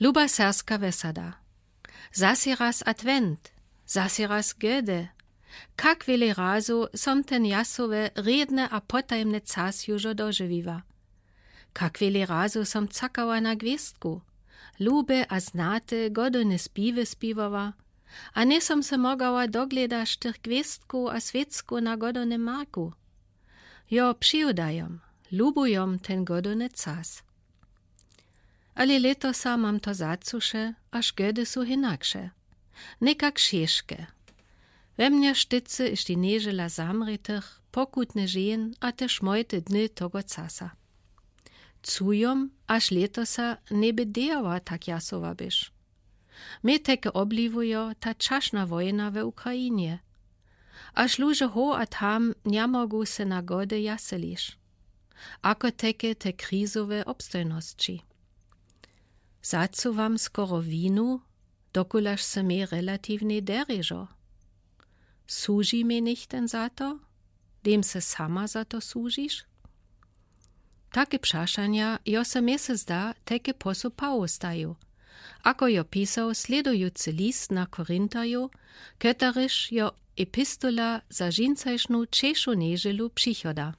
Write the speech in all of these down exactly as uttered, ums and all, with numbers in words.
Luba serbska wesada. Zasy raz adwent, zasy raz gode. Kak wile razu som ten jasowy, redny a potajmny cas južo dožiwiła. Kak wile razu som cakała na gwěstku, lube a znate godowne spiwy spiwała, a njej som se mogała doglědaš tych gwěstkow a swěckow na godownym marku. Jo, přiwdajom, lubujom ten godowny cas. Ale lětosa mam to zacuše, a škody su hinakše. Někak šeške. We mnje štycy ješti nježela zamrětych, pokutny žen a te šmojte dny togo casa. Cujom, až lětosa njebě dejała tak jasowa byš. Mie teke obliwujo ta čašna wojna we Ukrajinje. Až luže ho a tam njemogu se na gody jaseliš. Ako teke te krizowe obstojnosći. Zacuwam skoro winu, dokulaž se mie relatiwnje derježo. Słuži mie nichten za to? Dym se sama za to słužiš? Take přašanja jo se mie se zda teke posupało staju, ako jo pisał slědujucy list na Korintarjow, keteryž jo epistola za žincajšnu češu nježelu přichoda.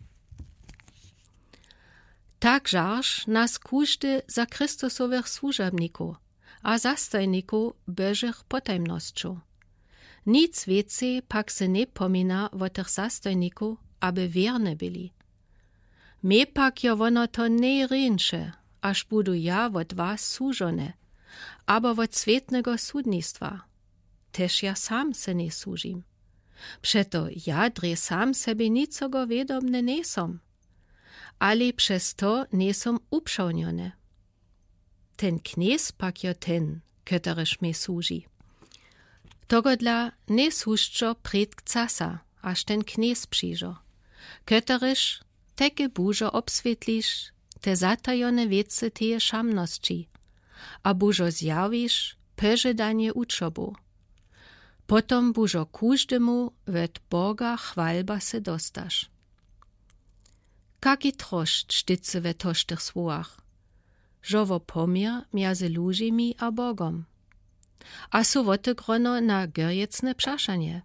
Tak žarž nas kuždy za Christusowych słužabnikow a zastojnikow Božych potajmnosćow. Nic wěcej pak se njepomina wo tych zastojnikow, aby wěrne byli. Mie pak jo wono to njereńše, až budu ja wot was służone, abo wot swětnego sudnistwa. Tež ja sam se njejsłužim. Přeto ja drje sam sebje nicogo wědomny njejsom, ale přez to njejsom upřawnjony. Ten knjez pak jo ten, keteryž mie słuži. Togodla njejsłužčo prědk casa, až ten knjez přižo, keteryž teke bužo obswětliš te zatajone wěcy teje šamnosći, a bužo zjawiš požadanje učobow. Potom bužo kuždemu wot Boga chwalba se dostaš. Kaki trošt štycy we tožtych słowach, žo wo poměr mjezy lužimi a Bogom. A su wotegrono na gorjecne přašanje.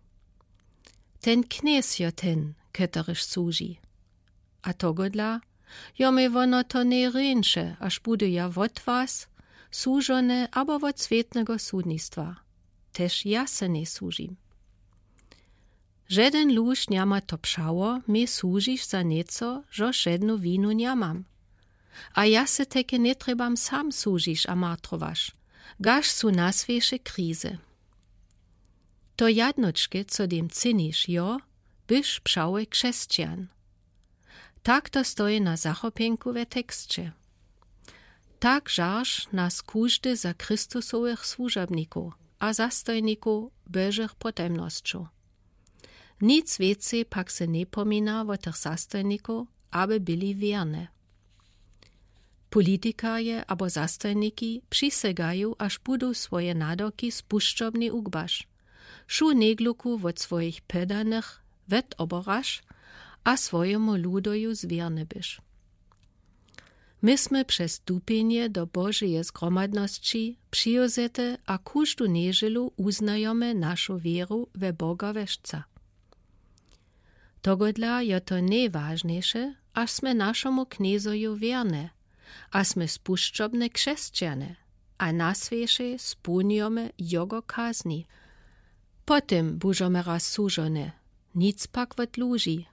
Ten knjez jo ten, keteryž słuži. A togodla jo mie wono to njereńše, až budu ja wot was służone abo wot swětnego sudnistwa. Tež ja se njejsłužim. Žeden luž njama to přało, mie słužiš za njeco, žož žednu winu njamam. A ja se teke njetrjebam sam słužiš a martrowaš, gaž su naswěše krize. To jadnočke, co dym cyniš, jo, byš přały křesćan. Tak to stoji na zachopjenku we teksće. Tak žarž nas kuždy za Christusowych słužabnikow a zastojnikow Božych potajmnosćow. Nic wěcej pak se njepomina wo tych zastojnikow, aby byli wěrne. Politikarje abo zastojniki přisygaju, až budu swoje nadoki spušćobni ugbaš, wšu njegluku wot swojich podanych wetoboraš a swojemu ludoju zwěrny byš. My smy přez stupjenje do Božeje zgromadnosći přiwzete a kuždu nježelu wuznajomy našu wěru we Boga wešca. Togodla jo to njewažnjejše, až smy našemu knjezoju wěrne, a smy spušćobne křesćane, a naswěše spłónjomy jogo kazni. Potom bužomy raz służone, nic pak wot luži,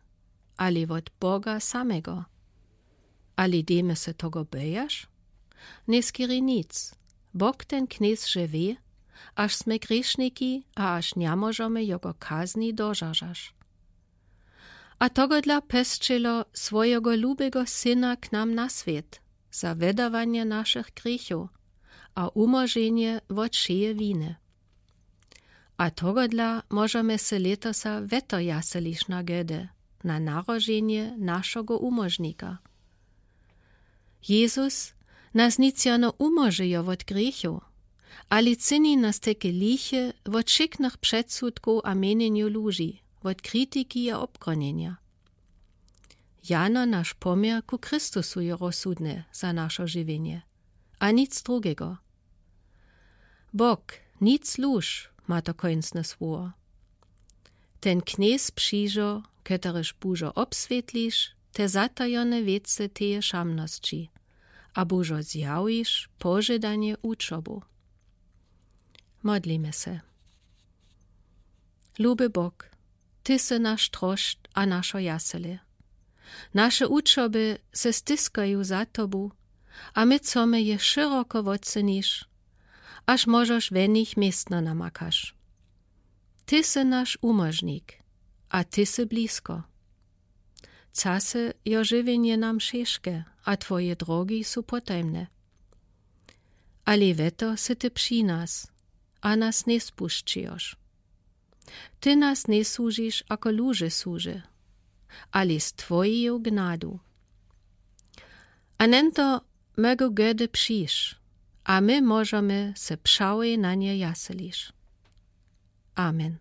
ale wot Boga samego. Ale dejmy se togo bojaš? Njeskeri nic. Bóg ten knjez że wě, až smy grěšniki a až njemóžomy jogo kazni dožažaš. A togodla posćelo swojego lubego syna k nam na swět, za wydawanje našich grěchow a wumóženje wot wšeje winy. A togodla móžomy se lětosa wetow jaseliš na gody, na naroženje našogo wumóžnika. Jezus nas nic jano wumóžejo wot grěchow, ale cyni nas teke liche wot wšiknych předsudkow a měnjenjow luži, wot kritiki a obgronjenja. Jano naš poměr ku Christusu je rozsudny za našo žiwjenje, a nic drugego. Bok, nic luž, ma to kóńcne słowo. Ten knjez przińdźo, ketereż bóžo obswětliš te zatajone wěcy teje šamnosći, a bóžo zjawiš požadanje uczobu. Modlimy se. Luby Bok, ty sy nasz trošt a našo jasele. Naše uczoby se stiskaju za tobu, a my chcemy je šeroko wotceniš, až mòžoš we nich městno namakaš. Ty sy nasz umòžnik, a ty sy blisko. Czasy jo žiwjenje nam šeške, a twoje drogi su potajmne. Ale we to sy ty při nas, a nas njespušćijoš. Ty nas njesłužiš ako luže słuže, ale z twojeju gnadu. A njeto mògło gdze přijś, a my mòžemy se přało na nje jaseliš. Amen.